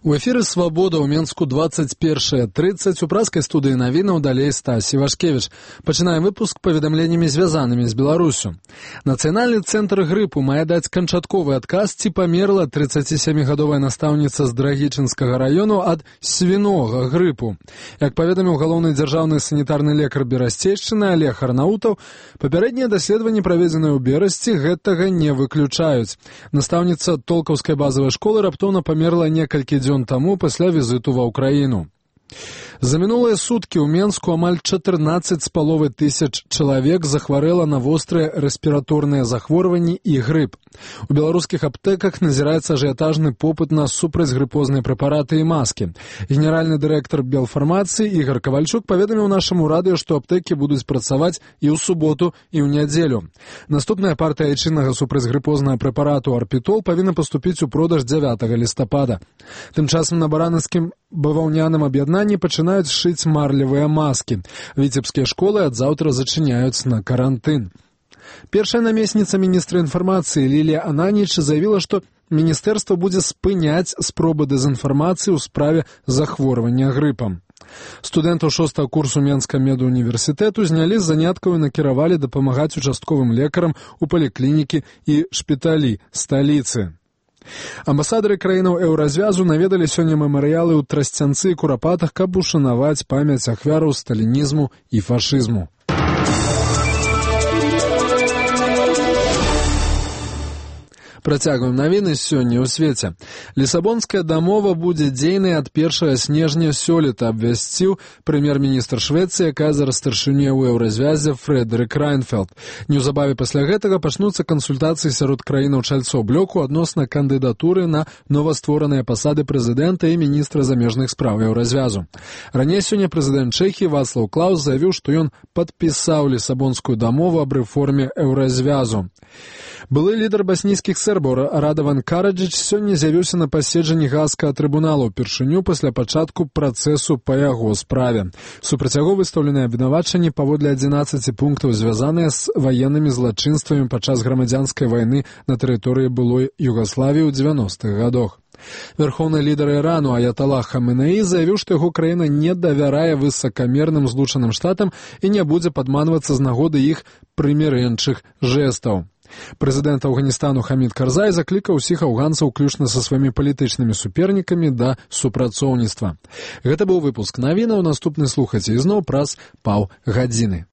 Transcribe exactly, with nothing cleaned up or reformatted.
У эфіры «Свабода» ў Менску двадцать першая тридцать. У праскай студыі навінаў далей Стась Івашкевіч. Пачынаем выпуск паведамленнямі, звязанымі з Беларусю. Нацыянальны цэнтр грыпу мае даць канчатковы адказ, ці памерла трыццацісямігадовая настаўніца з Драгічынскага раёну ад свінога грыпу. Як паведаміў галоўны дзяржаўны санітарны лекар Берасцейшчыны Олег Арнаутаў, папярэднія даследаванні, праведзеныя ў Берасці, гэтага не выключаюць. Настаўніца толкаўскай базавай школы раптоўна памерла некалькі дзён дзён таму пасля візіту ва ўкраіну. За мінулыя суткі ў Менску амаль чатырнаццаць з паловай тысяч чалавек захварэла на вострыя рэспіраторныя захворванні і грып. У беларускіх аптэках назіраецца ажыятажны попыт на супрацьгрыпозныя прэпараты і маскі. Генеральны дырэктар Белфармацыі Ігор Кавальчук паведаміў нашаму радыё, што аптэкі будуць працаваць і ў суботу, і ў нядзелю. Наступная партыя айчыннага супрацьгрыпознага прэпарату Арпітол павінна паступіць у продаж дзявятага лістапада. Тым часам на баранаўскім баваўняным аб'яднанні пачынаюць шыць марлевыя маскі. Віцебскія школы ад заўтра зачыняюць на карантын. Першая намесніца міністра інфармацыі Лілія Ананіч заявіла, што міністэрства будзе спыняць спробы дэзінфармацыі ў справе захворвання грыпам. Студэнтаў шостага курсу Менскага медуніверсітэту знялі з заняткаў і накіравалі дапамагаць участковым лекарам у паліклінікі і шпіталі сталіцы. Амбасадары краінаў еўразвязу наведалі сёння мемарыялы ў Трасцянцы і Курапатах, каб ушанаваць памяць ахвяраў сталінізму і фашызму. Працягваем навіны сёння ў свеце. Лісабонская дамова будзе дзейнай ад першага снежня сёлета, абвясціў прэм'ер-міністр Швецыі, якая зараз старшыня ў еўразвязе Фрэдэрык Райнфелд. Неўзабаве пасля гэтага пачнуцца кансультацыі сярод краінаў чальцоў блоку адносна кандыдатуры на новаствораныя пасады прэзідэнта і міністра замежных спраў еўразвязу. Раней сёння прэзідэнт Чэхіі Вацлаў Клаус заявіў, што ён падпісаў лісабонскую дамову аб рэформе еўразвязу. Былы лідар баснійскіх сербаў Радаван Караджыч сёння з'явіўся на паседжанні Гаагскага трыбунала ўпершыню пасля пачатку працэсу па яго справе. Супраць яго выстаўленыя абвінавачанні паводле адзінаццаці пунктаў, звязаныя з ваеннымі злачынствамі падчас грамадзянскай вайны на тэрыторыі былой Югаславіі ў дзевяностых гадах. Верхоўны лідар Ірану Аяталах Хаменеі заявіў, што яго краіна не давярае высакамерным злучаным штатам і не будзе падманвацца з нагоды іх прымірэнчых жэстаў. Прэзідэнт Афганістану Хамід Карзай заклікаў усіх афганцаў, уключна са сваімі палітычнымі супернікамі, да супрацоўніцтва. Гэта быў выпуск навінаў. Наступны слухайце ізноў праз паўгадзіны.